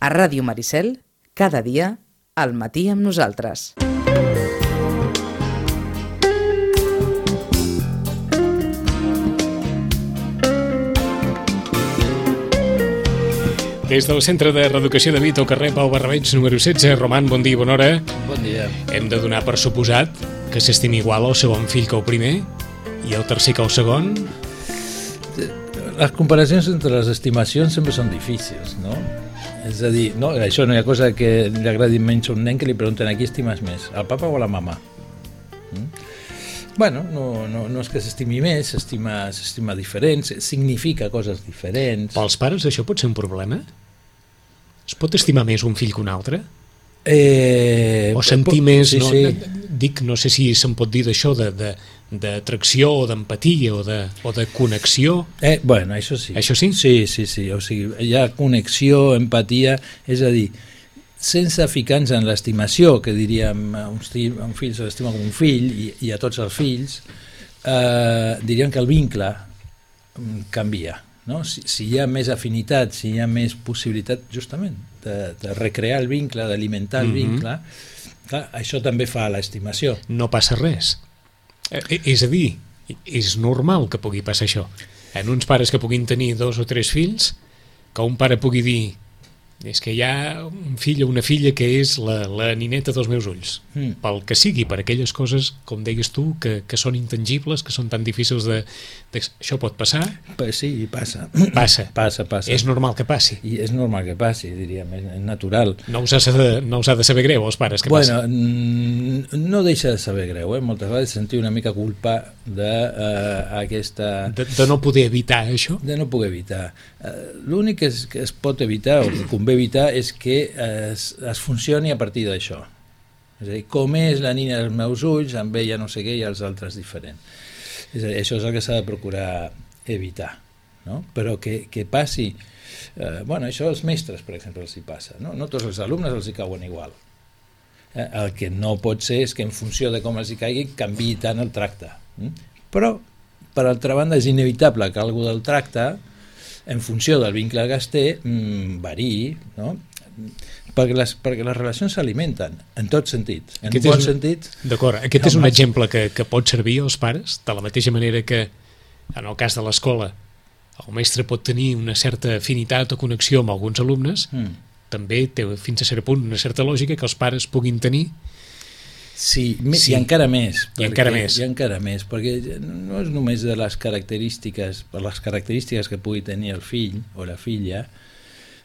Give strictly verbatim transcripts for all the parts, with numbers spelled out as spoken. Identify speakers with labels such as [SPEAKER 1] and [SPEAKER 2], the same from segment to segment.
[SPEAKER 1] A Ràdio Maricel, cada dia, al matí amb nosaltres.
[SPEAKER 2] Des del Centre de Reeducació de Vic, al carrer Pau Barrabeig, número setze. Roman, bon dia, bona hora.
[SPEAKER 3] Bon dia.
[SPEAKER 2] Hem de donar per suposat que s'estimi igual el segon fill que el primer i el tercer que el segon.
[SPEAKER 3] Les comparacions entre les estimacions sempre són difícils, no? És a dir, no, això no hi ha cosa que li agradi menys a un nen que li pregunten a qui estimes més, al papa o a la mama? Mm? Bueno, no, no, no és que s'estimi més, s'estima, s'estima diferent, significa coses diferents.
[SPEAKER 2] Pels pares això pot ser un problema? Es pot estimar més un fill que un altre?
[SPEAKER 3] Eh,
[SPEAKER 2] o sentir pot, més,
[SPEAKER 3] sí,
[SPEAKER 2] no,
[SPEAKER 3] sí.
[SPEAKER 2] Dic, no sé si se'n pot dir d'això, de, de, d'atracció o d'empatia o de, o de connexió.
[SPEAKER 3] Eh, bueno, això sí.
[SPEAKER 2] Això sí?
[SPEAKER 3] Sí, sí, sí. O sigui, hi ha connexió, empatia, és a dir, sense ficar-nos en l'estimació, que diríem a un, a un fill se l'estima com un fill i, i a tots els fills, eh, diríem que el vincle canvia. No? Si, si hi ha més afinitat, si hi ha més possibilitat justament de, de recrear el vincle, d'alimentar el
[SPEAKER 2] mm-hmm.
[SPEAKER 3] vincle, clar, això també fa l'estimació.
[SPEAKER 2] No passa res. Eh, és a dir, és normal que pugui passar això. En uns pares que puguin tenir dos o tres fills, que un pare pugui dir és que hi ha un fill o una filla que és la, la nineta dels meus ulls, mm. pel que sigui, per aquelles coses, com deies tu, que, que són intangibles, que són tan difícils de... de això pot passar?
[SPEAKER 3] Pues sí, passa.
[SPEAKER 2] Passa.
[SPEAKER 3] Passa, passa.
[SPEAKER 2] És normal que passi.
[SPEAKER 3] I és normal que passi, diríem, és natural.
[SPEAKER 2] No us ha de, no us ha de saber greu, als pares, que
[SPEAKER 3] bueno,
[SPEAKER 2] passi?
[SPEAKER 3] No deixa de saber greu, eh? Moltes vegades sentir una mica culpa d'aquesta... Uh,
[SPEAKER 2] de, de no poder evitar això?
[SPEAKER 3] De no poder evitar. Uh, L'únic que es, que es pot evitar, o que convé evitar, és que es, es funcioni a partir d'això. És a dir, com és la nina dels meus ulls, amb ella no sé què i els altres diferent. És a dir, això és el que s'ha de procurar evitar, no? Però que, que passi... Eh, bueno, això als mestres, per exemple, els hi passa, no? No tots els alumnes els hi cauen igual. Eh, el que no pot ser és que en funció de com els hi caigui canviï tant el tracte. Mm? Però, per altra banda, és inevitable que algú del tracte, en funció del vincle que es té, mmm, variï, no? Perquè les, perquè les relacions s'alimenten, en tot sentit. En
[SPEAKER 2] aquest
[SPEAKER 3] bon
[SPEAKER 2] un,
[SPEAKER 3] sentit...
[SPEAKER 2] D'acord, aquest és un exemple que, que pot servir als pares, de la mateixa manera que, en el cas de l'escola, el mestre pot tenir una certa afinitat o connexió amb alguns alumnes, mm. també té fins a cert punt una certa lògica que els pares puguin tenir.
[SPEAKER 3] Sí, sí, i encara més.
[SPEAKER 2] I encara més.
[SPEAKER 3] I encara més, perquè no és només de les característiques, per les característiques que pugui tenir el fill o la filla,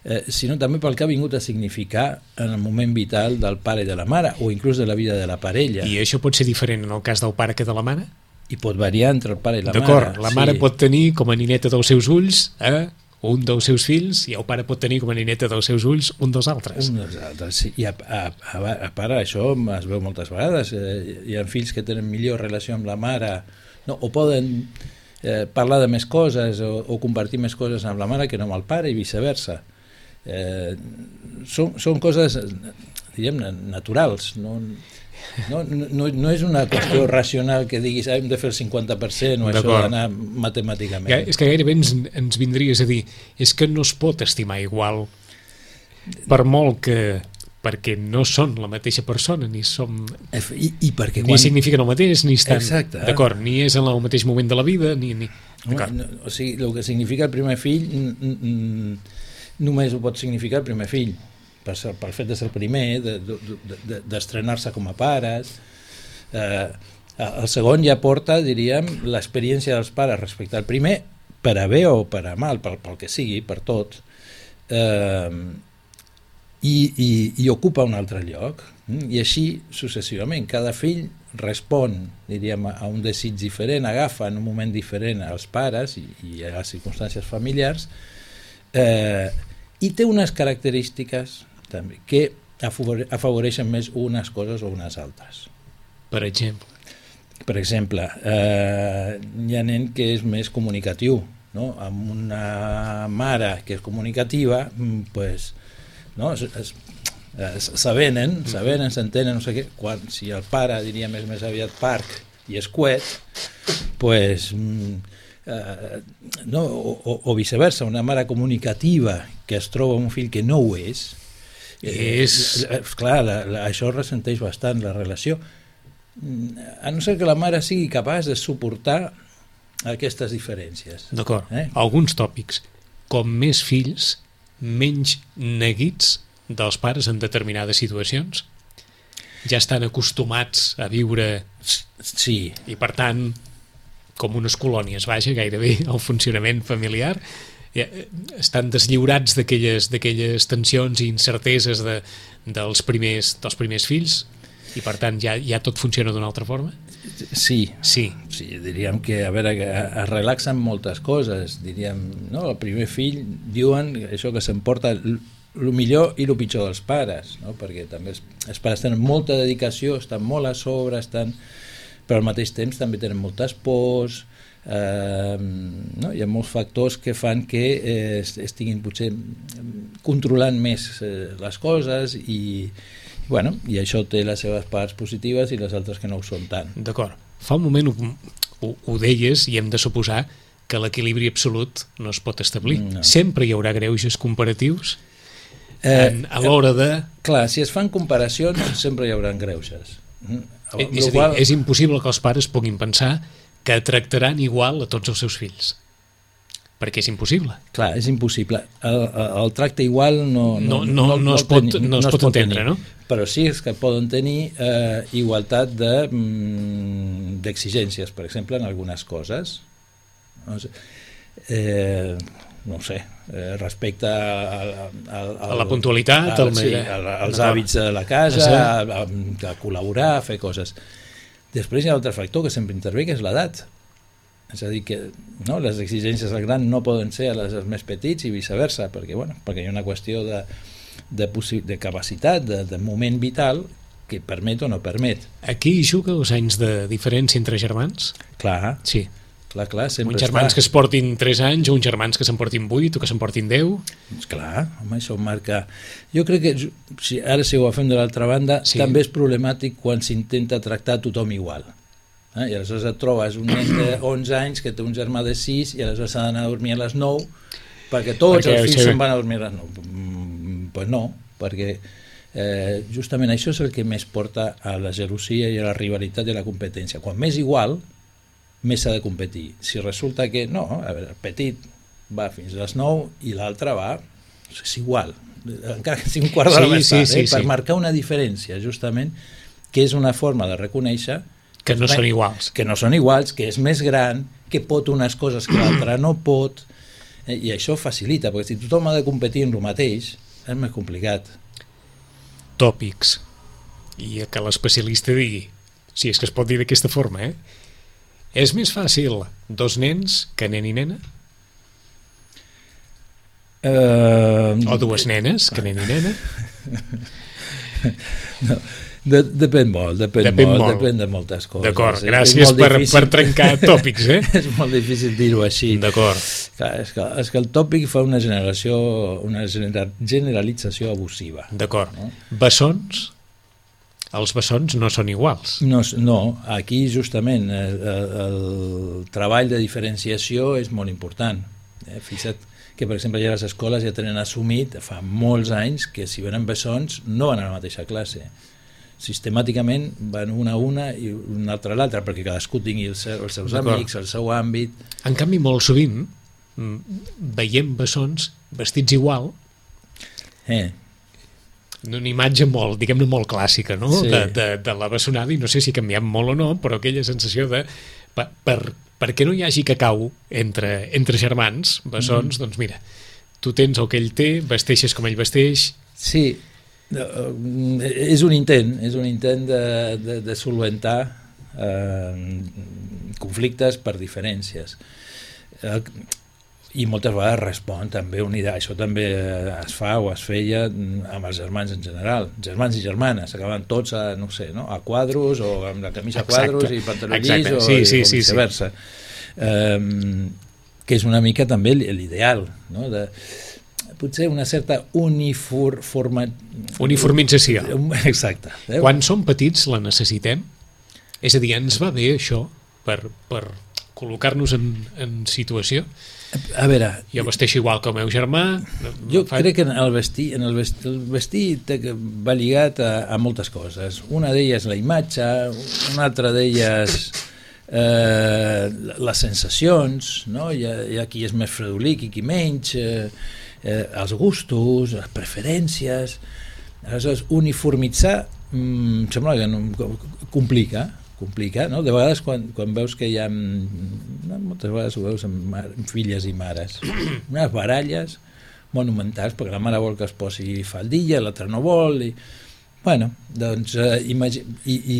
[SPEAKER 3] eh, sinó també pel que ha vingut a significar en el moment vital del pare i de la mare, o inclús de la vida de la parella.
[SPEAKER 2] I això pot ser diferent en el cas del pare que de la mare?
[SPEAKER 3] I pot variar entre el pare i la
[SPEAKER 2] D'acord,
[SPEAKER 3] mare.
[SPEAKER 2] D'acord, la
[SPEAKER 3] sí.
[SPEAKER 2] mare pot tenir com a nineta dels seus ulls, eh? un dels seus fills, i el pare pot tenir com a nineta dels seus ulls un dels altres.
[SPEAKER 3] Un dels altres, sí. I a, a, a, a part, això es veu moltes vegades. Eh, hi ha fills que tenen millor relació amb la mare, no? O poden eh, parlar de més coses o, o compartir més coses amb la mare que no amb el pare i viceversa. Eh, són, són coses, diguem, naturals, no... No, no, no és una qüestió racional que diguis ah, hem de fer el cinquanta per cent o això d'anar matemàticament.
[SPEAKER 2] Ja, és que gairebé ens, ens vindries a dir és que no es pot estimar igual per molt que perquè no són la mateixa persona ni som
[SPEAKER 3] I, i perquè
[SPEAKER 2] ni
[SPEAKER 3] quan...
[SPEAKER 2] signifiquen el mateix ni estan
[SPEAKER 3] Exacte.
[SPEAKER 2] D'acord, ni és en el mateix moment de la vida ni, ni...
[SPEAKER 3] No, no, o sigui, el que significa el primer fill només ho pot significar el primer fill per ser, pel fet de ser el primer, de, de, de, d'estrenar-se com a pares. Eh, el segon ja porta, diríem, l'experiència dels pares respecte al primer, per a bé o per a mal, pel, pel que sigui, per tot, eh, i, i, i ocupa un altre lloc. I així successivament. Cada fill respon, diríem, a un desig diferent, agafa en un moment diferent als pares i, i a les circumstàncies familiars, eh, i té unes característiques també, que afavoreixen més unes coses o unes altres.
[SPEAKER 2] Per exemple?
[SPEAKER 3] Per exemple, eh, hi ha nen que és més comunicatiu, no? Amb una mare que és comunicativa, pues, no? es, es, es, s'avenen, s'avenen, s'entenen, no sé què. Quan, si el pare, diríem, és més aviat parc i escuet, pues... Eh, no, o, o viceversa, una mare comunicativa que es troba un fill que no ho és,
[SPEAKER 2] és...
[SPEAKER 3] Eh, clar, la, la, això ressenteix bastant la relació, a no ser que la mare sigui capaç de suportar aquestes diferències.
[SPEAKER 2] D'acord,
[SPEAKER 3] eh?
[SPEAKER 2] Alguns tòpics. Com més fills, menys neguits dels pares en determinades situacions. Ja estan acostumats a viure...
[SPEAKER 3] Sí.
[SPEAKER 2] I, per tant, com unes colònies, vaja, gairebé el funcionament familiar, ja, estan deslliurats d'aquelles d'aquelles tensions i incerteses de, dels, primers, dels primers fills, i per tant ja, ja tot funciona d'una altra forma?
[SPEAKER 3] Sí,
[SPEAKER 2] sí,
[SPEAKER 3] sí, diríem que, a veure, que es relaxen moltes coses, diríem, no? El primer fill, diuen això que s'emporta el millor i el pitjor dels pares, no? Perquè també els, els pares tenen molta dedicació, estan molt a sobre, estan, però al mateix temps també tenen moltes pors, eh, no? Hi ha molts factors que fan que eh, estiguin potser controlant més eh, les coses i bueno, i això té les seves parts positives i les altres que no ho són tant.
[SPEAKER 2] D'acord. Fa un moment ho, ho, ho deies i hem de suposar que l'equilibri absolut no es pot establir. No. Sempre hi haurà greuges comparatius en, a l'hora de...
[SPEAKER 3] Clar, si es fan comparacions sempre hi haurà greuges.
[SPEAKER 2] Eh, és a dir, qual... és impossible que els pares puguin pensar que tractaran igual a tots els seus fills. Perquè és impossible.
[SPEAKER 3] Clar, és impossible. El, el tracte igual no,
[SPEAKER 2] no, no, no, no, no es pot, tenir, no es no pot entendre,
[SPEAKER 3] tenir.
[SPEAKER 2] No?
[SPEAKER 3] Però sí que poden tenir eh, igualtat d'exigències, de, per exemple, en algunes coses. No sé, eh, no sé eh, respecte al, al, al,
[SPEAKER 2] a la puntualitat,
[SPEAKER 3] al,
[SPEAKER 2] al,
[SPEAKER 3] sí, al, als hàbits de la casa, a, a, a col·laborar, a fer coses. Després hi ha un altre factor que sempre intervé, que és l'edat. És a dir, que no, les exigències al gran no poden ser a les dels més petits i viceversa, perquè, bueno, perquè hi ha una qüestió de, de, de capacitat, de, de moment vital, que permet o no permet.
[SPEAKER 2] Aquí hi juga els anys de diferència entre germans?
[SPEAKER 3] Clar,
[SPEAKER 2] sí.
[SPEAKER 3] Clar, clar, sempre
[SPEAKER 2] uns germans està. Que es portin tres anys, o uns germans que se'n portin vuit, o que se'n portin deu.
[SPEAKER 3] Clar, home, això marca... Jo crec que, si, ara si ho fem de l'altra banda, sí. També és problemàtic quan s'intenta tractar tothom igual. Eh? I aleshores et trobes un nen d'onze anys que té un germà de sis i aleshores s'ha d'anar a dormir a les nou perquè tots perquè els fills se'n van a dormir a les nou. Doncs pues no, perquè eh, justament això és el que més porta a la gelosia i a la rivalitat i a la competència. Quan més igual, més s'ha de competir. Si resulta que no, a veure, el petit va fins a les nou i l'altre va, és igual, encara que sigui un quart d'hora sí, més tard, sí, sí, eh? Per sí. Marcar una diferència, justament, que és una forma de reconèixer
[SPEAKER 2] que no són iguals.
[SPEAKER 3] Que no són iguals, que és més gran, que pot unes coses que l'altre no pot, eh, i això facilita, perquè si tothom ha de competir en el mateix, és més complicat.
[SPEAKER 2] Tòpics. I que l'especialista digui, si és que es pot dir d'aquesta forma, eh? És més fàcil dos nens que nen i nena?
[SPEAKER 3] Uh...
[SPEAKER 2] O dues nenes que nen i nena?
[SPEAKER 3] No. De, depèn molt, depèn, depèn molt, molt, depèn de moltes coses.
[SPEAKER 2] D'acord, gràcies per, per trencar tòpics, eh?
[SPEAKER 3] És molt difícil dir-ho així.
[SPEAKER 2] D'acord.
[SPEAKER 3] És que, és que el tòpic fa una generació, una generalització abusiva.
[SPEAKER 2] D'acord. No? Bessons? Els bessons no són iguals.
[SPEAKER 3] No, no, aquí justament el, el treball de diferenciació és molt important. Eh? Fixa't que, per exemple, ja les escoles ja tenen assumit fa molts anys que si venen bessons no van a la mateixa classe. Sistemàticament van una a una i una altra a l'altra perquè cadascú tingui el seu, els seus amics, el seu àmbit.
[SPEAKER 2] En canvi, molt sovint veiem bessons vestits igual,
[SPEAKER 3] eh.
[SPEAKER 2] una imatge molt, diguem-ne, molt clàssica, no?
[SPEAKER 3] Sí.
[SPEAKER 2] de, de, de la bessonada, i no sé si ha canviat molt o no, però aquella sensació de per, per, perquè no hi hagi cacau entre, entre germans bessons, mm. doncs mira, tu tens el que ell té, vesteixes com ell vesteix.
[SPEAKER 3] Sí, és un intent, és un intent de, de, de solventar eh, conflictes per diferències. Eh, I moltes vegades respon també unida. Això també es fa o es feia amb els germans en general. Germans i germanes, acaben tots a, no sé, no? a quadros o amb la camisa a quadros i pantaló llis o,
[SPEAKER 2] sí, sí,
[SPEAKER 3] o viceversa. Sí, sí. Eh, que és una mica també l'ideal, no? De potser una certa unifor, forma...
[SPEAKER 2] uniformització.
[SPEAKER 3] Exacte.
[SPEAKER 2] Quan som petits la necessitem? És a dir, ens va bé això per, per col·locar-nos en, en situació.
[SPEAKER 3] A veure...
[SPEAKER 2] Jo vesteixo igual que el meu germà.
[SPEAKER 3] Jo fa... crec que en el vestir, en el vestir, el vestir va lligat a, a moltes coses. Una d'elles la imatge, una altra d'elles eh, les sensacions, no? Hi ha, hi ha qui és més fredolic i qui menys, eh, eh, els gustos, les preferències. Aleshores, uniformitzar em sembla que no, complica, complica, no? De vegades quan, quan veus que hi ha, no, moltes vegades ho veus amb, mar, amb filles i mares, unes baralles monumentals, perquè la mare vol que es posi faldilla, l'altra no vol, i bueno, doncs eh, imagi, i, i,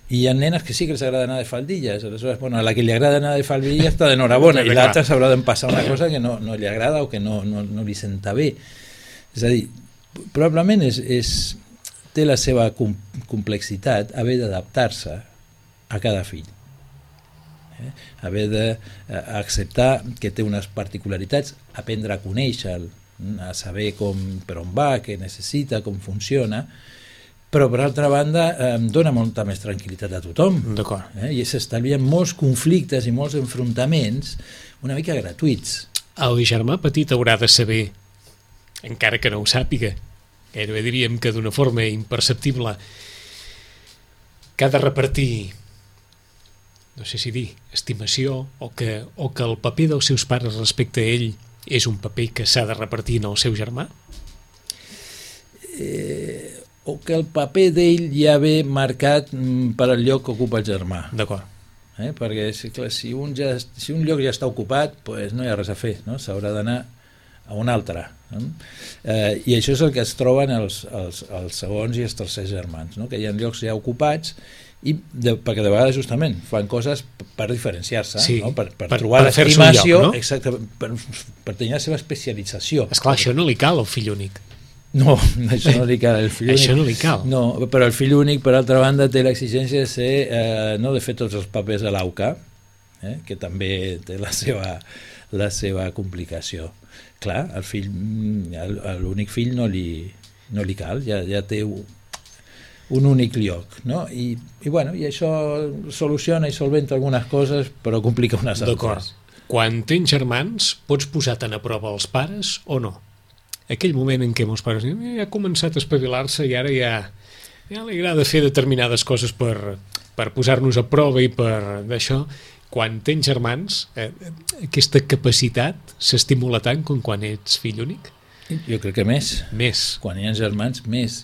[SPEAKER 3] i hi ha nenes que sí que els agrada anar de faldilles, aleshores, bueno, a la que li agrada anar de faldilles està d'enhorabona, i l'altra s'haurà d'empassar una cosa que no, no li agrada o que no, no, no li senta bé. És a dir, probablement és, és, té la seva com, complexitat haver d'adaptar-se a cada fill, eh? Haver d'acceptar que té unes particularitats, aprendre a conèixer-lo, a saber com, per on va, què necessita, com funciona, però per altra banda em dona molta més tranquil·litat a tothom.
[SPEAKER 2] D'acord.
[SPEAKER 3] Eh? I s'estalvien molts conflictes i molts enfrontaments una mica gratuïts.
[SPEAKER 2] El germà petit haurà de saber, encara que no ho sàpiga, gairebé diríem que d'una forma imperceptible, que ha de repartir, no sé si dir, estimació, o que, o que el paper dels seus pares respecte a ell és un paper que s'ha de repartir en el seu germà?
[SPEAKER 3] Eh, o que el paper d'ell ja ve marcat per al lloc que ocupa el germà.
[SPEAKER 2] D'acord.
[SPEAKER 3] Eh? Perquè clar, si, un ja, si un lloc ja està ocupat, pues no hi ha res a fer, no? S'haurà d'anar a un altre. No? Eh, I això és el que es troben els, els, els segons i els tercers germans, no? Que hi ha llocs ja ocupats, i de, perquè de vegades justament fan coses per diferenciar-se,
[SPEAKER 2] sí,
[SPEAKER 3] no? per, per,
[SPEAKER 2] per
[SPEAKER 3] trobar
[SPEAKER 2] per
[SPEAKER 3] l'estimació,
[SPEAKER 2] no?
[SPEAKER 3] Exacte, per, per tenir la seva especialització.
[SPEAKER 2] Esclar, això no li cal al fill únic.
[SPEAKER 3] No, això no li cal al fill únic.
[SPEAKER 2] Això no li cal.
[SPEAKER 3] No, però el fill únic, per altra banda, té l'exigència de ser, eh, no de fer tots els papers a l'AUCA, eh, que també té la seva, la seva complicació. Clar, el fill, l'únic fill no li, no li cal, ja, ja té un únic lloc, no? I, i, bueno, i això soluciona i solventa algunes coses, però complica unes altres.
[SPEAKER 2] D'acord. Quan tens germans, pots posar tan a prova els pares o no? Aquell moment en què els pares diuen, eh, ha començat a espavilar-se i ara ja, ja li agrada fer determinades coses per, per posar-nos a prova i per d'això. Quan tens germans, eh, aquesta capacitat s'estimula tant com quan ets fill únic?
[SPEAKER 3] Jo crec que més.
[SPEAKER 2] Més.
[SPEAKER 3] Quan hi ha germans, més.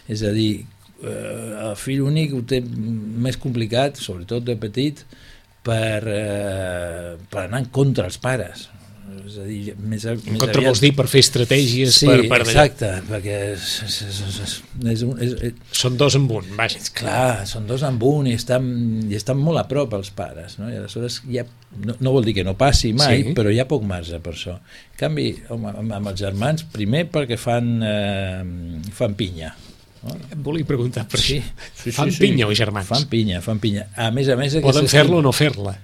[SPEAKER 3] És a dir, el fill únic ho té més complicat, sobretot de petit, per, eh, per anar en contra els pares. És a dir, més,
[SPEAKER 2] en
[SPEAKER 3] més
[SPEAKER 2] contra
[SPEAKER 3] aviat...
[SPEAKER 2] vols dir per fer estratègies,
[SPEAKER 3] sí,
[SPEAKER 2] per, per
[SPEAKER 3] exacte, perquè és, és, és, és, és, és, és,
[SPEAKER 2] són dos en un, vaja.
[SPEAKER 3] Clar, són dos en un i estan, i estan molt a prop els pares, no? I aleshores ja, no, no vol dir que no passi mai, sí, però hi ha poc marge per això. En canvi, home, amb els germans, primer perquè fan, eh, fan pinya. No?
[SPEAKER 2] Em volia preguntar per
[SPEAKER 3] sí,
[SPEAKER 2] això.
[SPEAKER 3] Sí,
[SPEAKER 2] fan
[SPEAKER 3] sí,
[SPEAKER 2] pinya
[SPEAKER 3] sí.
[SPEAKER 2] els germans?
[SPEAKER 3] Fan pinya, fan pinya. A més a més...
[SPEAKER 2] Poden fer-la o no fer-la?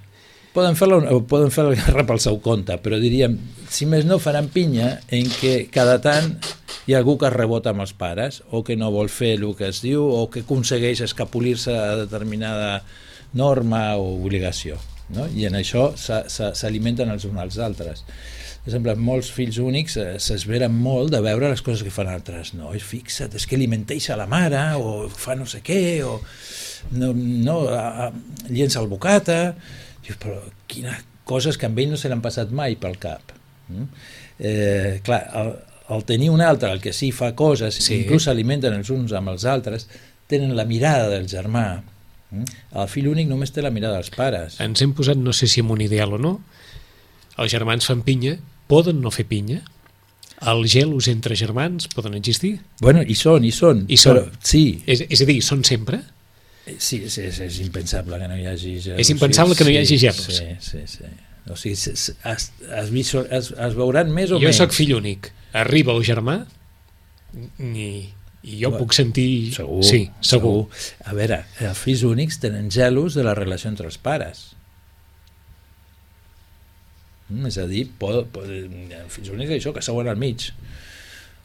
[SPEAKER 3] Poden fer-la o poden fer la guerra pel seu compte, però diríem, si més no faran pinya en què cada tant hi ha algú que es rebota amb els pares o que no vol fer el que es diu o que aconsegueix escapolir-se a determinada norma o obligació, no? I en això s'alimenten els uns als altres. Per exemple, molts fills únics s'esveren molt de veure les coses que fan altres. No, fixa't, és que li menteix a la mare o fa no sé què o no, no a, a, llença el bocata. Dius, però quines coses que amb ell no se l'han passat mai pel cap. Mm? Eh, clar, el, el tenir un altre, el que sí fa coses, sí, inclús s'alimenten els uns amb els altres, tenen la mirada del germà. Mm? El fill únic només té la mirada dels pares.
[SPEAKER 2] Ens hem posat, no sé si en un ideal o no, els germans fan pinya, poden no fer pinya? Els gelos entre germans poden existir?
[SPEAKER 3] Bueno, hi són, hi són.
[SPEAKER 2] Hi són.
[SPEAKER 3] Però, sí.
[SPEAKER 2] És, és a dir, són sempre?
[SPEAKER 3] Sí, és, és, és impensable que no hi hagi gelos.
[SPEAKER 2] És impensable que no hi hagi gelos?
[SPEAKER 3] Sí, sí, sí. O sigui, es, es, es, es, es veuran més o
[SPEAKER 2] jo
[SPEAKER 3] menys.
[SPEAKER 2] Jo soc fill únic. Arriba el germà i, i jo bueno, puc sentir...
[SPEAKER 3] Segur,
[SPEAKER 2] sí, segur.
[SPEAKER 3] segur. A veure, els fills únics tenen gelos de la relació entre els pares. Mm, és a dir, pot, pot, els fills únics això, que seuen al mig.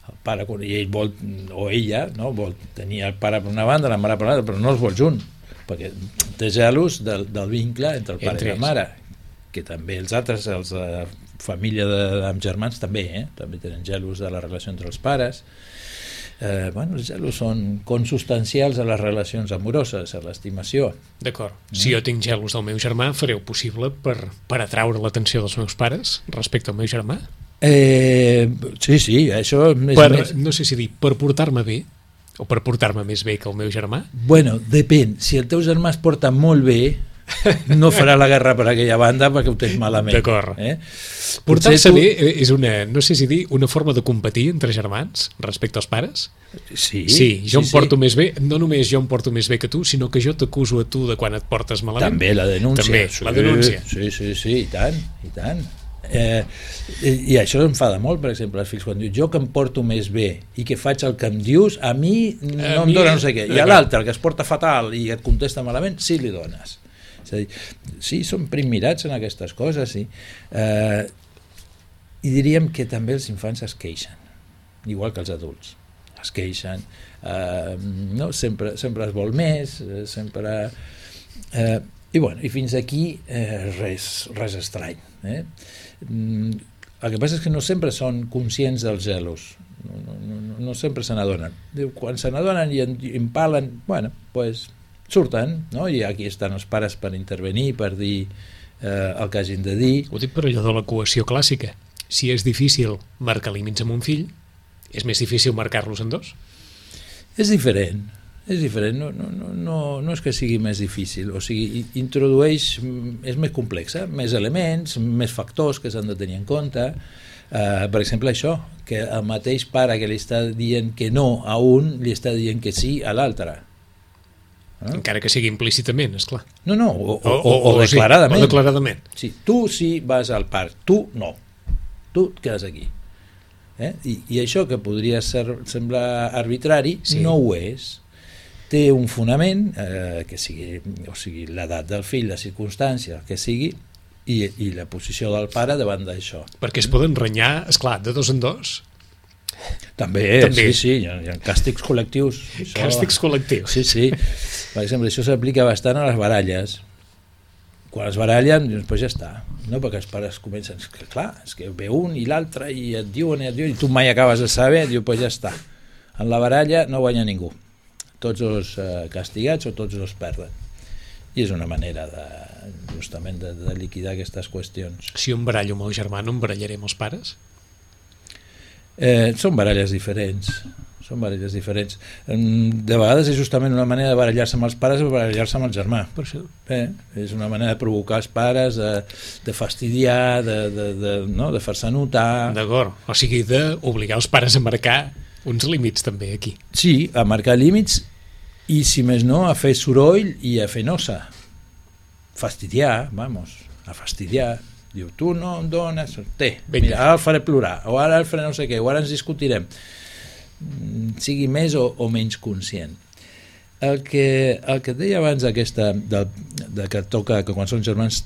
[SPEAKER 3] El pare, i ell vol, o ella, no, vol tenir el pare per una banda, la mare per l'altra, però no els vol junt, perquè té gelos del, del vincle entre el pare entre i la mare. que també els altres, els de la família de, amb germans també, eh? també tenen gelos de la relació entre els pares. Eh, bueno, els gelos són consubstancials a les relacions amoroses, a l'estimació.
[SPEAKER 2] D'acord. Si jo tinc gelos del meu germà, fareu possible per, per atraure l'atenció dels meus pares respecte al meu germà?
[SPEAKER 3] Eh, sí, sí, això és
[SPEAKER 2] per,
[SPEAKER 3] més...
[SPEAKER 2] No sé si dir, per portar-me bé o per portar-me més bé que el meu germà?
[SPEAKER 3] Bueno, depèn. Si el teu germà es porta molt bé, no farà la guerra per aquella banda perquè ho tens malament.
[SPEAKER 2] D'acord.
[SPEAKER 3] Eh?
[SPEAKER 2] Portar-se
[SPEAKER 3] tu...
[SPEAKER 2] bé és una, no sé si dir, una forma de competir entre germans respecte als pares?
[SPEAKER 3] Sí,
[SPEAKER 2] sí jo
[SPEAKER 3] sí,
[SPEAKER 2] em porto
[SPEAKER 3] sí.
[SPEAKER 2] més bé, no només jo em porto més bé que tu, sinó que jo t'acuso a tu de quan et portes malament.
[SPEAKER 3] També la denúncia.
[SPEAKER 2] També,
[SPEAKER 3] sí,
[SPEAKER 2] la denúncia.
[SPEAKER 3] Sí, sí, sí, i tant, i tant. Eh, i, i això enfada molt, per exemple, els fills quan diu jo que em porto més bé i que faig el que em dius, a mi no a em mi... dona no sé què, i a l'altre que es porta fatal i et contesta malament, sí li dones. És a dir, sí, són primmirats en aquestes coses, sí. Eh, i diríem que també els infants es queixen, igual que els adults es queixen, eh, no? sempre, sempre es vol més, sempre... Eh, i, bueno, i fins aquí eh, res, res estrany. Eh? Mm, el que passa és que no sempre són conscients dels gelos, no, no, no, no sempre se n'adonen. Quan se n'adonen i empalen, bueno, pues, surten, no? I aquí estan els pares per intervenir, per dir eh, el que hagin de dir.
[SPEAKER 2] Ho dic per allò de l'equació clàssica. Si és difícil marcar límits amb un fill, és més difícil marcar-los en dos?
[SPEAKER 3] És diferent. És diferent, no, no, no, no és que sigui més difícil, o sigui, introdueix, és més complexa, més elements, més factors que s'han de tenir en compte. Uh, per exemple, això, que el mateix pare que li està dient que no a un, li està dient que sí a l'altre.
[SPEAKER 2] No? Encara que sigui implícitament, esclar.
[SPEAKER 3] No, no, o, o,
[SPEAKER 2] o,
[SPEAKER 3] o, o declaradament.
[SPEAKER 2] Sí, o declaradament.
[SPEAKER 3] Sí, tu sí vas al parc, tu no. Tu et quedes aquí. Eh? I, I això que podria ser, semblar arbitrari, sí. No ho és. Té un fonament, eh, que sigui, o sigui, l'edat del fill, la circumstància, que sigui, i, i la posició del pare davant d'això.
[SPEAKER 2] Perquè es poden renyar, esclar, de dos en dos.
[SPEAKER 3] També, També. sí, sí, hi ha, hi ha càstigs col·lectius.
[SPEAKER 2] Això... Càstigs col·lectius.
[SPEAKER 3] Sí, sí. Per exemple, això s'aplica bastant a les baralles. Quan es barallen, doncs ja està. No? Perquè els pares comencen, és que, clar, és que ve un i l'altre i et diuen i et diuen, i tu mai acabes de saber, diu, doncs ja està. En la baralla no guanya ningú. Tots els eh, castigats o tots els perden. I és una manera de, justament de, de liquidar aquestes qüestions.
[SPEAKER 2] Si un barallo amb el germà, no em barallaré amb els pares?
[SPEAKER 3] Eh, són baralles diferents. Són baralles diferents. De vegades és justament una manera de barallar-se amb els pares o barallar-se amb el germà.
[SPEAKER 2] Per això.
[SPEAKER 3] Eh, és una manera de provocar els pares, de, de fastidiar, de, de, de, no? de fer-se notar.
[SPEAKER 2] D'acord. O sigui, d'obligar els pares a marcar uns límits també aquí.
[SPEAKER 3] Sí, a marcar límits i, si més no, a fer soroll i a fer nosa. Fastidiar, vamos, a fastidiar. Diu, tu no em dones... Té, mira, ara el faré plorar, o ara el faré no sé què, o ara ens discutirem. Sigui més o, o menys conscient. El que, el que et deia abans aquesta, de, de que toca, que quan són germans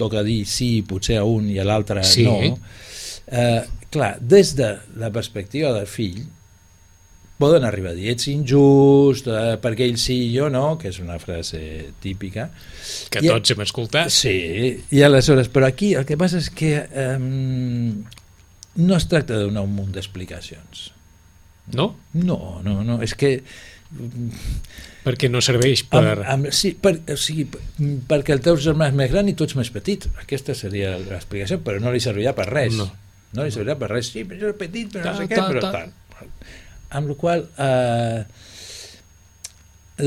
[SPEAKER 3] toca dir sí, potser a un i a l'altre
[SPEAKER 2] sí.
[SPEAKER 3] No. Eh, clar, des de la perspectiva del fill, poden arribar a dir ets injust, eh, perquè ell sí i jo no, que és una frase típica.
[SPEAKER 2] Que
[SPEAKER 3] I,
[SPEAKER 2] tots hem escoltat.
[SPEAKER 3] Sí, i aleshores, però aquí el que passa és que eh, no es tracta de donar un munt d'explicacions.
[SPEAKER 2] No?
[SPEAKER 3] No, no, no, és que...
[SPEAKER 2] Perquè no serveix per...
[SPEAKER 3] Amb, amb, sí, per, o sigui, perquè el teu germà és més gran i tu ets més petit. Aquesta seria l'explicació, però no li servirà per res. No, no li servirà per res. Sí, però jo és petit, però no sé què, però tal. Amb la qual eh,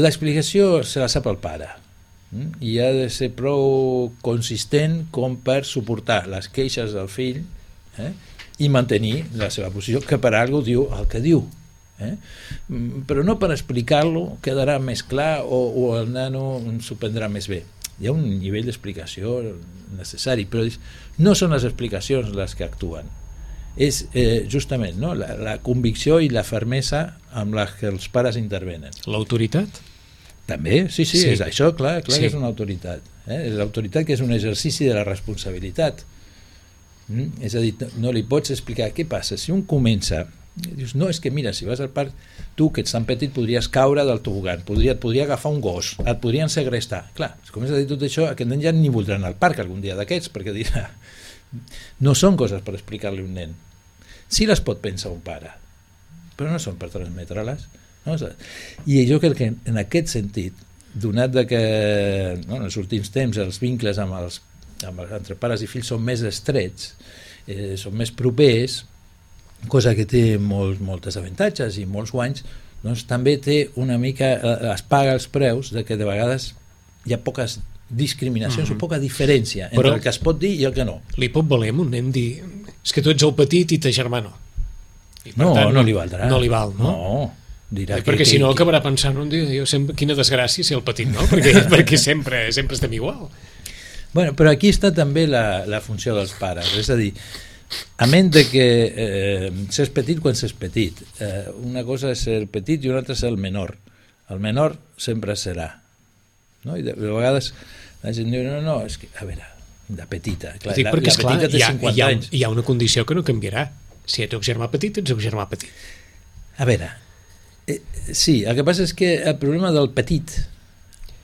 [SPEAKER 3] l'explicació se la sap el pare i ha de ser prou consistent com per suportar les queixes del fill eh, i mantenir la seva posició, que per alguna cosa diu el que diu. Eh? Però no per explicar-lo quedarà més clar o, o el nano s'ho prendrà més bé. Hi ha un nivell d'explicació necessari, però no són les explicacions les que actuen. És eh, justament no? la, la convicció i la fermesa amb la que els pares intervenen.
[SPEAKER 2] L'autoritat?
[SPEAKER 3] També, sí, sí,
[SPEAKER 2] sí.
[SPEAKER 3] És això, clar, clar
[SPEAKER 2] sí.
[SPEAKER 3] que és una autoritat. Eh? L'autoritat que és un exercici de la responsabilitat. Mm? És a dir, no li pots explicar què passa si un comença I dius, no, és que mira, si vas al parc, tu que ets tan petit podries caure del tobogan, podria, et podria agafar un gos, et podrien segrestar. Clar, si comences a dir tot això, aquest nen ja ni voldrà anar al parc algun dia d'aquests, perquè dirà, no són coses per explicar-li a un nen. Sí les pot pensar un pare, però no són per transmetre-les. No? I jo crec que en aquest sentit, donat de que no, en els últims temps els vincles amb els, amb els, entre pares i fills són més estrets, eh, són més propers, cosa que té molts, moltes avantatges i molts guanys, doncs també té una mica, eh, es paga els preus de que de vegades hi ha poques discriminacions mm-hmm. o poca diferència entre Però el que es pot dir i el que no.
[SPEAKER 2] Li pot valer a un nen dir és que tu ets el petit i ta germà no. I
[SPEAKER 3] no, tant, no li valdrà.
[SPEAKER 2] No li val, no?
[SPEAKER 3] No. Dirà
[SPEAKER 2] eh, perquè que, si no acabarà pensant un dia, jo sempre, quina desgràcia ser el petit, no? Perquè, perquè sempre, sempre estem igual.
[SPEAKER 3] Bueno, però aquí està també la, la funció dels pares, és a dir, a menys de que eh, s'és petit quan s'és petit, eh, una cosa és ser petit i una altra és el menor. El menor sempre serà, no? I de, de vegades la gent diu, no, no, és que, a veure, de petita, clar,
[SPEAKER 2] dic,
[SPEAKER 3] la, la petita
[SPEAKER 2] clar,
[SPEAKER 3] té
[SPEAKER 2] hi ha,
[SPEAKER 3] cinquanta
[SPEAKER 2] hi ha,
[SPEAKER 3] anys.
[SPEAKER 2] Hi ha una condició que no canviarà. Si ets el germà petit, ets el germà petit.
[SPEAKER 3] A veure, eh, sí, el que passa és que el problema del petit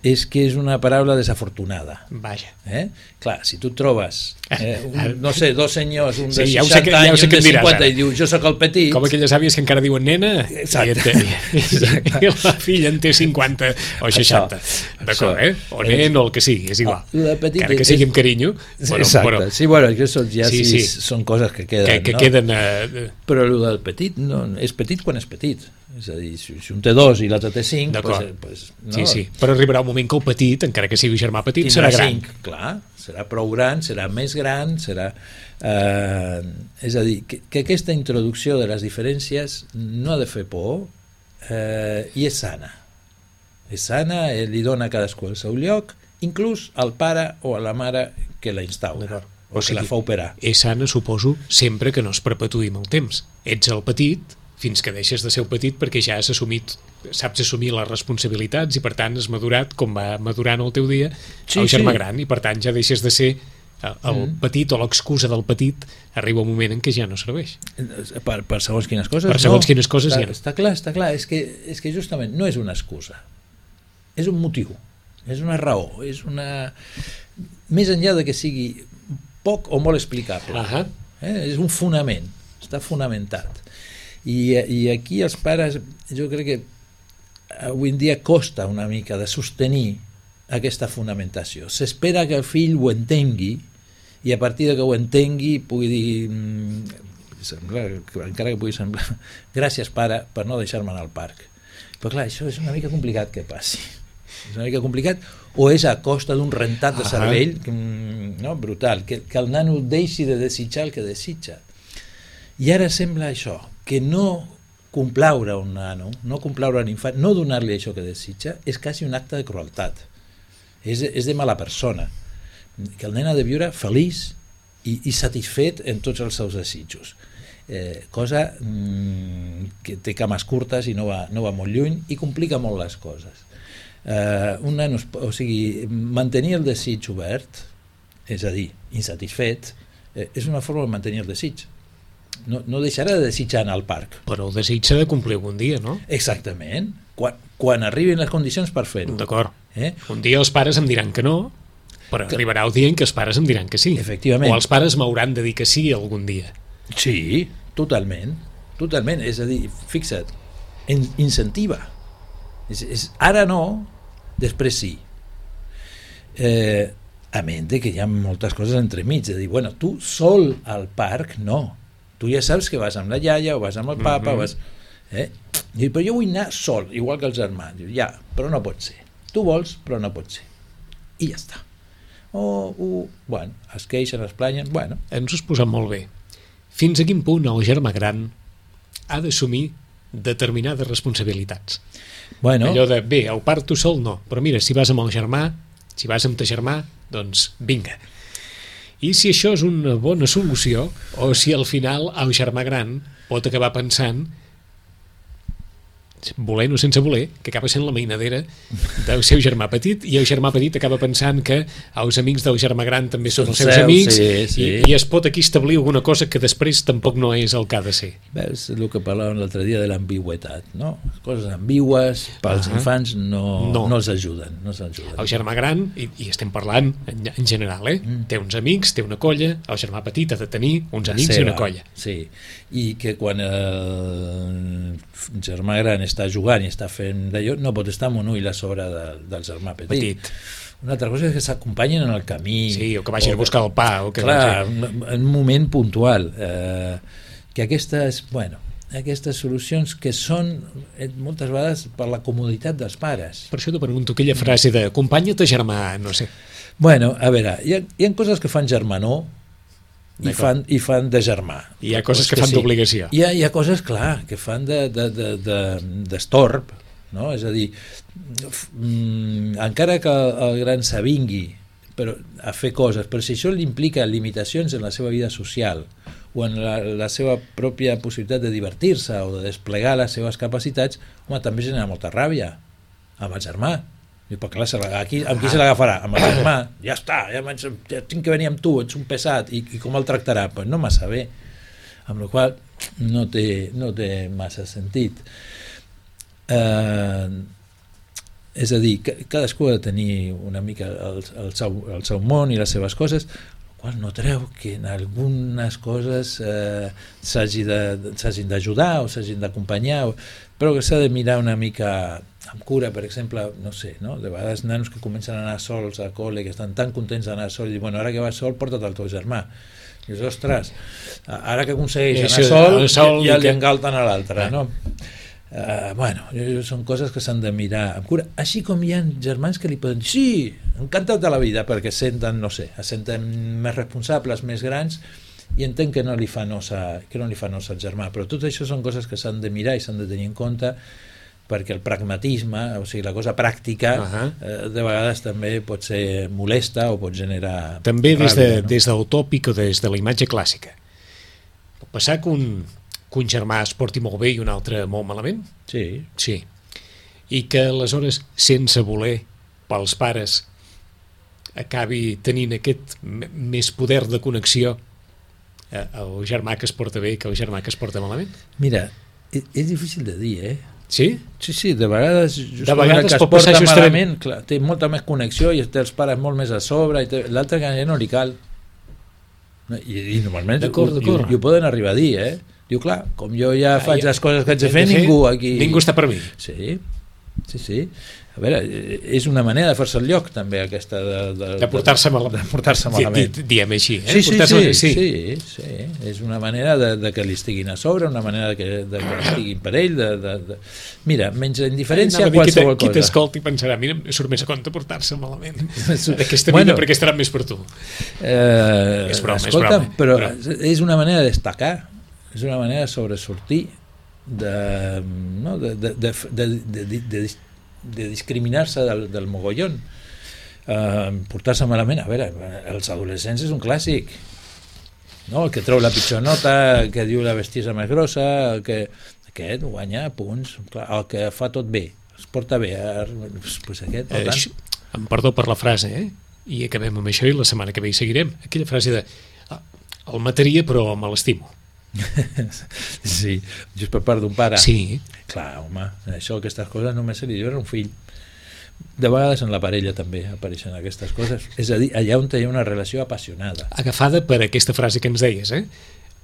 [SPEAKER 3] és que és una paraula desafortunada.
[SPEAKER 2] Vaja.
[SPEAKER 3] Eh? Clar, si tu trobes, eh, un, no sé, dos senyors, un de
[SPEAKER 2] sí, ja
[SPEAKER 3] seixanta
[SPEAKER 2] que, ja
[SPEAKER 3] anys i un de cinquanta,
[SPEAKER 2] diràs,
[SPEAKER 3] i diu, jo sóc el petit...
[SPEAKER 2] Com aquelles àvies que encara diuen nena,
[SPEAKER 3] Exacte.
[SPEAKER 2] I, Exacte. I la filla en té cinquanta o seixanta. D'acord, eh? O nen o el que sigui, és igual. Encara que sigui amb carinyo.
[SPEAKER 3] Bueno, Exacte. Però, sí, bueno, això ja sí, sí, són coses que queden.
[SPEAKER 2] Que, que
[SPEAKER 3] no?
[SPEAKER 2] queden uh...
[SPEAKER 3] Però el del petit, no, és petit quan és petit. És a dir, si, si un té dos i l'altre té cinc, pues, pues, no?
[SPEAKER 2] Sí, sí, però arribarà un moment que el petit, encara que sigui germà petit,
[SPEAKER 3] tindrà
[SPEAKER 2] serà gran.
[SPEAKER 3] cinc, clar, serà prou gran, serà més gran, serà... Eh, és a dir, que, que aquesta introducció de les diferències no ha de fer por eh, i és sana. És sana, eh, li dona a cadascú el seu lloc, inclús al pare o a la mare que la instaura o, o sigui, que la fa operar.
[SPEAKER 2] És sana, suposo, sempre que no es perpetuï amb el temps. Ets el petit fins que deixes de ser el petit perquè ja has assumit, saps assumir les responsabilitats i per tant has madurat com va madurant el teu dia sí, el germà sí. gran i per tant ja deixes de ser el mm. petit o l'excusa del petit, arriba un moment en què ja no serveix.
[SPEAKER 3] Per, per segons quines coses
[SPEAKER 2] per segons
[SPEAKER 3] no.
[SPEAKER 2] quines coses
[SPEAKER 3] està,
[SPEAKER 2] ja no.
[SPEAKER 3] Està clar, està clar, és que, és que justament no és una excusa, és un motiu, és una raó, és una... més enllà de que sigui poc o molt explicable. Uh -huh. eh? És un fonament, està fonamentat. I, i aquí els pares, jo crec que avui en dia costa una mica de sostenir aquesta fonamentació. S'espera que el fill ho entengui i a partir de que ho entengui pugui dir, semblar, encara que pugui semblar, gràcies pare per no deixar-me anar al parc. Però clar, això és una mica complicat que passi. És una mica complicat, o és a costa d'un rentat de cervell no, brutal, que, que el nano deixi de desitjar el que desitja. I ara sembla això, que no complaure un nano, no complaure un infant, no donar-li això que desitja, és quasi un acte de crueltat. És, és de mala persona. Que el nen ha de viure feliç i, i satisfet en tots els seus desitjos. Eh, cosa mm, que té cames curtes i no va, no va molt lluny i complica molt les coses. Eh, un nano, o sigui, mantenir el desig obert, és a dir, insatisfet, eh, és una forma de mantenir el desig. No, no deixarà de desitjar anar al parc.
[SPEAKER 2] Però el desig s'ha de complir algun dia, no?
[SPEAKER 3] Exactament. Quan, quan arribin les condicions per fer-ho.
[SPEAKER 2] D'acord. Eh? Un dia els pares em diran que no, però que... arribarà el dia en què els pares em diran que sí.
[SPEAKER 3] Efectivament.
[SPEAKER 2] O els pares m'hauran de dir que sí algun dia.
[SPEAKER 3] Sí, totalment. Totalment. És a dir, fixa't, in, incentiva. És, és, ara no, després sí. Eh, a menys que hi ha moltes coses entremig. De dir, bueno, tu sol al parc, no. Tu ja saps que vas amb la iaia o vas amb el papa, mm-hmm. vas... Eh? I, però jo vull anar sol, igual que els germans. Diu, ja, però no pot ser. Tu vols, però no pot ser. I ja està. O, o bueno, es queixen, es planyen, bueno.
[SPEAKER 2] Ens ho has posat molt bé. Fins a quin punt el germà gran ha d'assumir determinades responsabilitats?
[SPEAKER 3] Bueno.
[SPEAKER 2] Allò de, bé, el part tu sol no, però mira, si vas amb el germà, si vas amb ta germà, doncs vinga. I si això és una bona solució, o si al final el germà gran pot acabar pensant volent o sense voler, que acaba sent la mainadera del seu germà petit, i el germà petit acaba pensant que els amics del germà gran també són els seus
[SPEAKER 3] seus,
[SPEAKER 2] amics,
[SPEAKER 3] sí, sí.
[SPEAKER 2] I, i es pot aquí establir alguna cosa que després tampoc no és el que ha de ser.
[SPEAKER 3] Veus el que parlàvem l'altre dia de l'ambigüetat, no? Coses ambigües pels uh -huh. infants no, no. no els ajuden, no els ajuden.
[SPEAKER 2] El germà gran, i, i estem parlant en, en general, eh? Mm. té uns amics, té una colla, el germà petit ha de tenir uns amics seva, i una colla.
[SPEAKER 3] Sí, i que quan el germà gran està jugant i està fent d'allò, no pot estar amb un ull a sobre de, del germà petit. petit. Una altra cosa és que s'acompanyen en el camí.
[SPEAKER 2] Sí, o que vagin o, a buscar el pa. O que
[SPEAKER 3] clar, en un moment puntual. Eh, que aquestes, bueno, aquestes solucions que són eh, moltes vegades per la comoditat dels pares.
[SPEAKER 2] Per això t'ho pregunto, aquella frase de acompanya't germà, no sé.
[SPEAKER 3] Bueno, a veure, hi ha, hi ha coses que fan germanor i fan, i fan de germà.
[SPEAKER 2] I hi ha coses que, que fan sí. d'obligació.
[SPEAKER 3] Hi ha, hi ha coses, clar, que fan de, de, de, de, d'estorb, no? És a dir, mm, encara que el, el gran s'avingui però, a fer coses, però si això li implica limitacions en la seva vida social o en la, la seva pròpia possibilitat de divertir-se o de desplegar les seves capacitats, home, també genera molta ràbia amb el germà. I, però clar, aquí, amb qui se l'agafarà? Amb el germà, ja està, ja, ja tinc que venir amb tu, ets un pesat, i, i com el tractarà? Pues no massa bé, amb la qual no té, no té massa sentit. Eh, és a dir, cadascú ha de tenir una mica el, el, seu, el seu món i les seves coses, el qual no treu que en algunes coses eh, s'hagin d'ajudar o s'hagin d'acompanyar, però que s'ha de mirar una mica amb cura. Per exemple, no sé, no? De vegades nanos que comencen a anar sols a col·le, que estan tan contents d'anar sols, i diuen, bueno, ara que vas sol, porta't el teu germà. I dius, ostres, ara que aconsegueix anar sol, sol ja, ja li engalten a l'altre, no? Uh, bueno, són coses que s'han de mirar amb cura, així com hi ha germans que li poden dir, sí, encantat de la vida, perquè senten, no sé, es senten més responsables, més grans, i entenc que no li fa nosa, que no li fa nosa al germà, però tot això són coses que s'han de mirar i s'han de tenir en compte, perquè el pragmatisme, o sigui, la cosa pràctica, uh-huh. eh, de vegades també pot ser molesta o pot generar
[SPEAKER 2] també des,
[SPEAKER 3] ràbia,
[SPEAKER 2] de,
[SPEAKER 3] no?
[SPEAKER 2] des del tòpic o des de la imatge clàssica. Pot passar que un, que un germà es porti molt bé i un altre molt malament?
[SPEAKER 3] Sí.
[SPEAKER 2] Sí. I que aleshores, sense voler, pels pares, acabi tenint aquest m- més poder de connexió eh, el germà que es porta bé que el germà que es porta malament?
[SPEAKER 3] Mira, és, és difícil de dir, eh?
[SPEAKER 2] Sí?
[SPEAKER 3] Sí, sí, de vegades,
[SPEAKER 2] de vegades
[SPEAKER 3] que es porta malament, clar, té molta més connexió i té els pares molt més a sobre, i l'altre que ja no li cal. I, i normalment
[SPEAKER 2] d'acord,
[SPEAKER 3] ho,
[SPEAKER 2] d'acord.
[SPEAKER 3] I, i ho poden arribar a dir, eh? Diu, clar, com jo ja ah, faig ja, les coses que haig de fer,
[SPEAKER 2] fer,
[SPEAKER 3] ningú aquí...
[SPEAKER 2] Ningú està per mi.
[SPEAKER 3] Sí, sí, sí. A veure, és una manera de fer-se el lloc, també, aquesta de... De,
[SPEAKER 2] de portar-se malament.
[SPEAKER 3] De portar-se malament.
[SPEAKER 2] Di, diem així, eh?
[SPEAKER 3] Sí, sí, sí,
[SPEAKER 2] sí.
[SPEAKER 3] sí, sí. És una manera de, de que li estiguin a sobre, una manera de que, de que estiguin per ell, de, de, de... Mira, menys indiferència, qualsevol
[SPEAKER 2] qui
[SPEAKER 3] cosa.
[SPEAKER 2] Qui t'escolti pensarà, mira, surt més a compte portar-se malament. Aquesta vida, bueno, perquè estarà més per tu.
[SPEAKER 3] Eh,
[SPEAKER 2] és broma,
[SPEAKER 3] escolta,
[SPEAKER 2] és broma.
[SPEAKER 3] Però,
[SPEAKER 2] però
[SPEAKER 3] és una manera de destacar, és una manera de sobresortir, de, no, de, de, de, de, de, de, de de discriminar-se del, del mogollon, uh, portar-se malament. A veure, els adolescents és un clàssic, no? El que treu la pitjor nota, el que diu la bestiesa més grossa, el que aquest guanya punts, clar, el que fa tot bé, es porta bé, pues aquest, per tant...
[SPEAKER 2] Eh, em perdó per la frase, eh? I acabem amb això i la setmana que ve hi seguirem. Aquella frase de ah, el mataria però me l'estimo.
[SPEAKER 3] Sí, just per part d'un pare.
[SPEAKER 2] Sí.
[SPEAKER 3] Clar, home, això, aquestes coses només se li diuen a un fill. De vegades en la parella també apareixen aquestes coses. És a dir, allà on hi ha una relació apassionada.
[SPEAKER 2] Agafada per aquesta frase que ens deies, eh?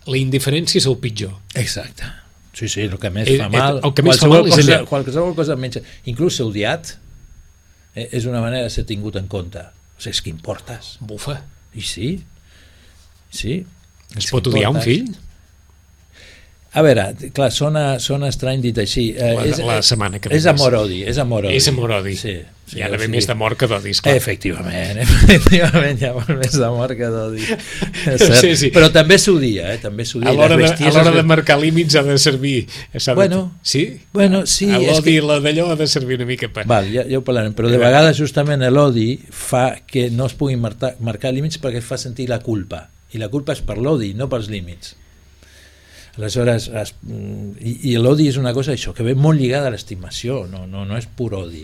[SPEAKER 2] La indiferència és el pitjor.
[SPEAKER 3] Exacte. Sí, sí, el que més
[SPEAKER 2] eh,
[SPEAKER 3] fa mal.
[SPEAKER 2] El que més fa mal és
[SPEAKER 3] cosa,
[SPEAKER 2] allà.
[SPEAKER 3] Qualsevol cosa menys... Inclús ser odiat eh, és una manera de ser tingut en compte. O sigui, és que importes.
[SPEAKER 2] Bufa.
[SPEAKER 3] I sí. Sí.
[SPEAKER 2] Es pot odiar un fill?
[SPEAKER 3] A veure, clar, sona, sona estrany dit així. Eh,
[SPEAKER 2] la,
[SPEAKER 3] és,
[SPEAKER 2] la setmana que ve.
[SPEAKER 3] És amor-odi, és amor-odi.
[SPEAKER 2] És amor-odi.
[SPEAKER 3] Sí, sí,
[SPEAKER 2] hi ha d'haver
[SPEAKER 3] o sigui,
[SPEAKER 2] més d'amor que d'odi, esclar.
[SPEAKER 3] Efectivament, efectivament, hi ha molt més d'amor que d'odi. Sí, sí. Però també s'odia, eh? També s'odia.
[SPEAKER 2] A l'hora de, a l'hora de marcar límits ha de servir... De...
[SPEAKER 3] Bueno,
[SPEAKER 2] sí?
[SPEAKER 3] Bueno, sí.
[SPEAKER 2] A l'odi
[SPEAKER 3] que...
[SPEAKER 2] i la d'allò ha de servir una mica per...
[SPEAKER 3] Val, ja, ja ho parlarem, però de vegades justament l'odi fa que no es puguin marcar, marcar límits perquè fa sentir la culpa. I la culpa és per l'odi, no pels límits. Aleshores, es, i, i l'odi és una cosa això, que ve molt lligada a l'estimació, no, no, no és pur odi.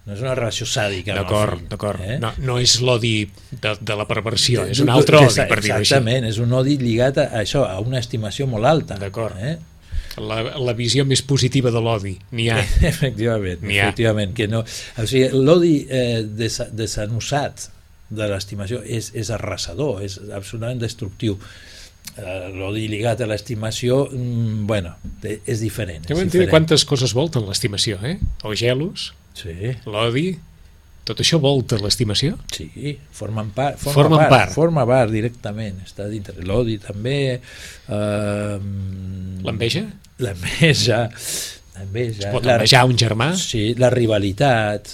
[SPEAKER 3] No és una relació sàdica amb el
[SPEAKER 2] D'acord,
[SPEAKER 3] fill.
[SPEAKER 2] d'acord.
[SPEAKER 3] Eh?
[SPEAKER 2] No, no és l'odi de, de la perversió, és un altre odi, per dir-ho així.
[SPEAKER 3] Exactament, és un odi lligat a això, a una estimació molt alta.
[SPEAKER 2] D'acord.
[SPEAKER 3] Eh?
[SPEAKER 2] La, la visió més positiva de l'odi, n'hi ha.
[SPEAKER 3] Efectivament,
[SPEAKER 2] N'hi ha.
[SPEAKER 3] efectivament. Que no, o sigui, l'odi eh, desa, desanussat de l'estimació és, és arrasador, és absolutament destructiu. Eh, l'odi lligat a l'estimació, mm, bueno, és diferent.
[SPEAKER 2] Ja
[SPEAKER 3] És
[SPEAKER 2] m'entén
[SPEAKER 3] diferent.
[SPEAKER 2] quantes coses volten l'estimació, eh? El gelos,
[SPEAKER 3] Sí,
[SPEAKER 2] l'odi, tot això volta l'estimació?
[SPEAKER 3] sí, formen part, forma
[SPEAKER 2] Formen
[SPEAKER 3] part,
[SPEAKER 2] part.
[SPEAKER 3] forma part directament, està dintre. L'odi també, eh,
[SPEAKER 2] L'enveja?
[SPEAKER 3] l'enveja, l'enveja,
[SPEAKER 2] Es pot
[SPEAKER 3] la-
[SPEAKER 2] envejar un germà?
[SPEAKER 3] sí, la rivalitat,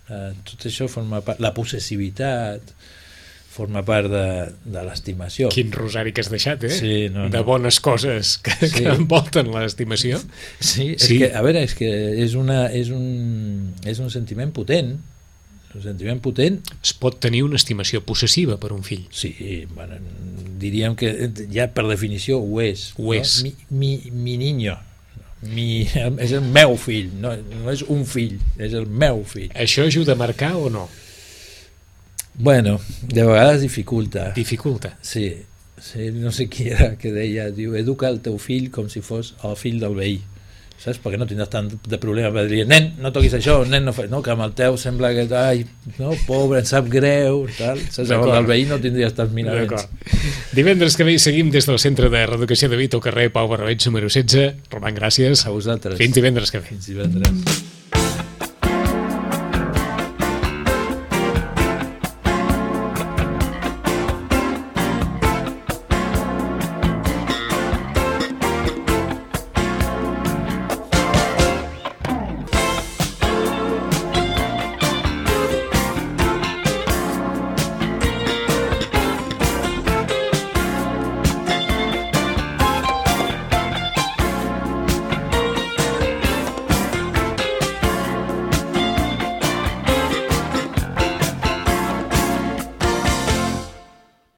[SPEAKER 3] eh, tot això forma part, la possessivitat forma part de, de l'estimació.
[SPEAKER 2] Quin rosari que has deixat, eh?
[SPEAKER 3] Sí, no, no.
[SPEAKER 2] De bones coses que,
[SPEAKER 3] Sí.
[SPEAKER 2] que envolten l'estimació.
[SPEAKER 3] Sí, és
[SPEAKER 2] Sí.
[SPEAKER 3] que, a veure, és que és, una, és, un, és un sentiment potent, un sentiment potent.
[SPEAKER 2] Es pot tenir una estimació possessiva per un fill.
[SPEAKER 3] Sí, bueno, diríem que ja per definició ho és.
[SPEAKER 2] Ho és.
[SPEAKER 3] No? Mi, mi, mi niño, mi, és el meu fill, no, no és un fill, és el meu fill.
[SPEAKER 2] Això ajuda a marcar o no?
[SPEAKER 3] Bueno, de vegades dificulta.
[SPEAKER 2] Dificulta.
[SPEAKER 3] Sí, sí, no sé qui era que deia, diu, educa el teu fill com si fos el fill del veí. Saps? Perquè no tindràs tant de problema per dir, nen, no toquis això, nen, no, fa... no, que amb el teu sembla que, ai, no, pobre, em sap greu, tal. Saps? Amb el veí no tindries tants miraments.
[SPEAKER 2] Divendres que ve seguim des del Centre de Reeducació de Vito, carrer Pau Barbeig, número setze. Roman, gràcies.
[SPEAKER 3] A vosaltres.
[SPEAKER 2] Fins divendres que ve.
[SPEAKER 3] Fins divendres.